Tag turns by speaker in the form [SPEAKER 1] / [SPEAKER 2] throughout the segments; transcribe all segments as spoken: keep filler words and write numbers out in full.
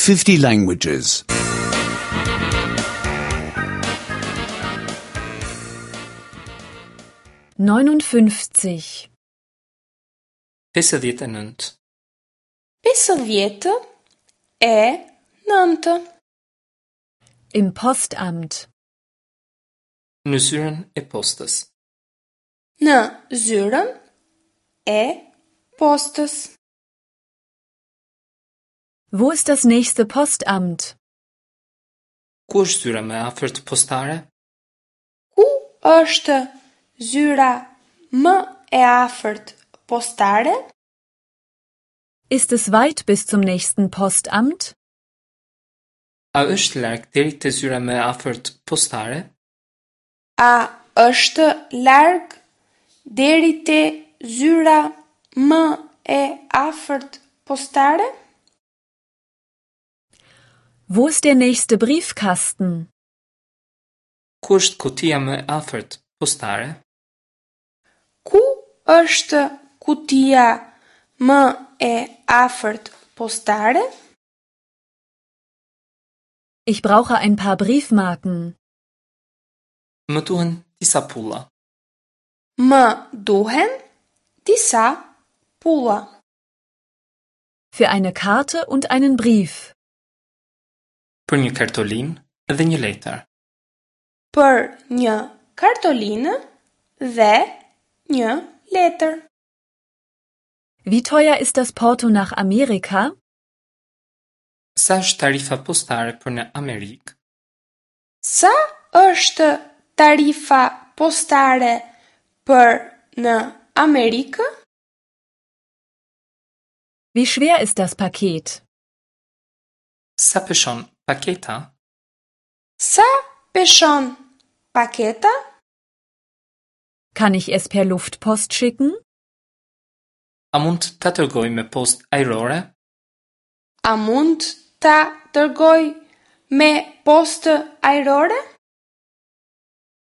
[SPEAKER 1] fifty languages.
[SPEAKER 2] neunundfünfzig
[SPEAKER 3] pesëdhjetë e nëntë.
[SPEAKER 4] Pesëdhjetë e nëntë.
[SPEAKER 2] Im Postamt.
[SPEAKER 3] Në zyrën e postës.
[SPEAKER 4] Në zyrën e postës.
[SPEAKER 2] Wo ist das nächste Postamt?
[SPEAKER 3] Ku është zyra më e afërt postare?
[SPEAKER 4] Ku është zyra më e afërt postare?
[SPEAKER 2] Ist es weit bis zum nächsten Postamt?
[SPEAKER 3] A është larg deri te zyra më e afërt postare?
[SPEAKER 4] A është larg deri te zyra më e afërt postare?
[SPEAKER 2] Wo ist der nächste Briefkasten?
[SPEAKER 3] Ku është kutia më e afërt postare?
[SPEAKER 4] Ku është kutia më e afërt postare?
[SPEAKER 2] Ich brauche ein paar Briefmarken.
[SPEAKER 3] Më duhen disa pulla.
[SPEAKER 4] Më duhen disa pulla.
[SPEAKER 2] Für eine Karte und einen Brief.
[SPEAKER 3] Për një kartolinë dhe një letër.
[SPEAKER 4] Për një kartolinë dhe një letër.
[SPEAKER 2] Wie teuer ist das Porto nach Amerika?
[SPEAKER 3] Sa është tarifa postare për në Amerikë?
[SPEAKER 4] Sa është tarifa postare për në Amerikë?
[SPEAKER 2] Wie schwer ist das Paket?
[SPEAKER 3] Sa peshon paketa?
[SPEAKER 4] Sa peshon paketa?
[SPEAKER 2] Kann ich es per Luftpost schicken?
[SPEAKER 3] A mund ta dërgoj me postë ajrore?
[SPEAKER 4] A mund ta dërgoj me postë ajrore?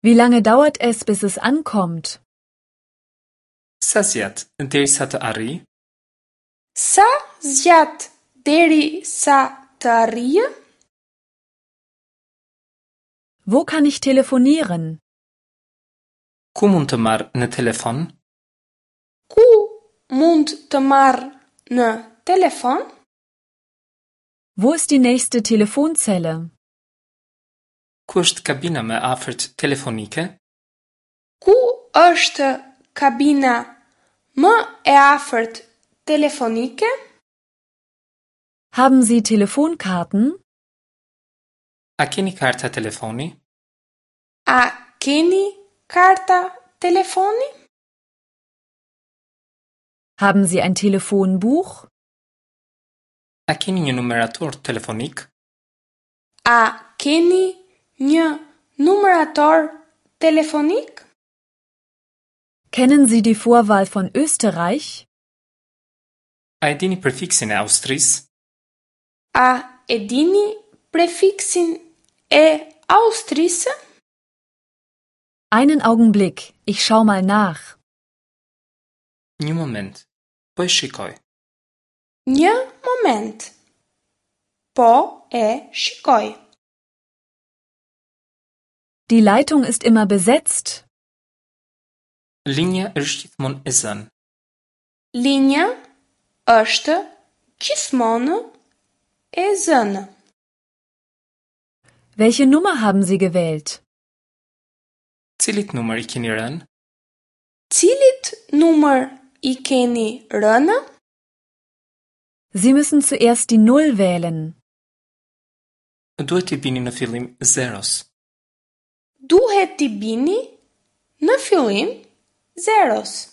[SPEAKER 2] Wie lange dauert es, bis es ankommt?
[SPEAKER 3] Sa zgjat derisa të arrijë?
[SPEAKER 4] Sa zgjat derisa të arrijë?
[SPEAKER 2] Wo kann ich telefonieren?
[SPEAKER 3] Ku mund të marr në telefon?
[SPEAKER 4] Ku mund të marr në telefon?
[SPEAKER 2] Wo ist die nächste Telefonzelle?
[SPEAKER 3] Ku është kabina më e afërt telefonike?
[SPEAKER 4] Ku është kabina më e afërt telefonike?
[SPEAKER 2] Haben Sie Telefonkarten?
[SPEAKER 3] A keni karta telefoni?
[SPEAKER 4] A keni karta telefoni?
[SPEAKER 2] Haben Sie ein Telefonbuch?
[SPEAKER 3] A keni një numerator telefonik?
[SPEAKER 4] A keni një numerator telefonik?
[SPEAKER 2] Kennen Sie die Vorwahl von Österreich?
[SPEAKER 3] A e dini prefiksin e Austrisë?
[SPEAKER 4] A e dini prefiksin e Austrisë?
[SPEAKER 2] Einen Augenblick, ich schau mal nach.
[SPEAKER 3] Një moment, po e shikoj.
[SPEAKER 4] Një moment. Po e shikoj.
[SPEAKER 2] Die Leitung ist immer besetzt.
[SPEAKER 3] Linja është gjithmonë e zënë.
[SPEAKER 4] Linja është gjithmonë e zënë.
[SPEAKER 2] Welche Nummer haben Sie gewählt?
[SPEAKER 3] Cilit numër i keni rënë?
[SPEAKER 4] Cilit numër i keni rënë?
[SPEAKER 2] Sie müssen zuerst die Null wählen.
[SPEAKER 3] Duhet t'i bini në fillim zeros.
[SPEAKER 4] Duhet t'i bini në fillim zeros.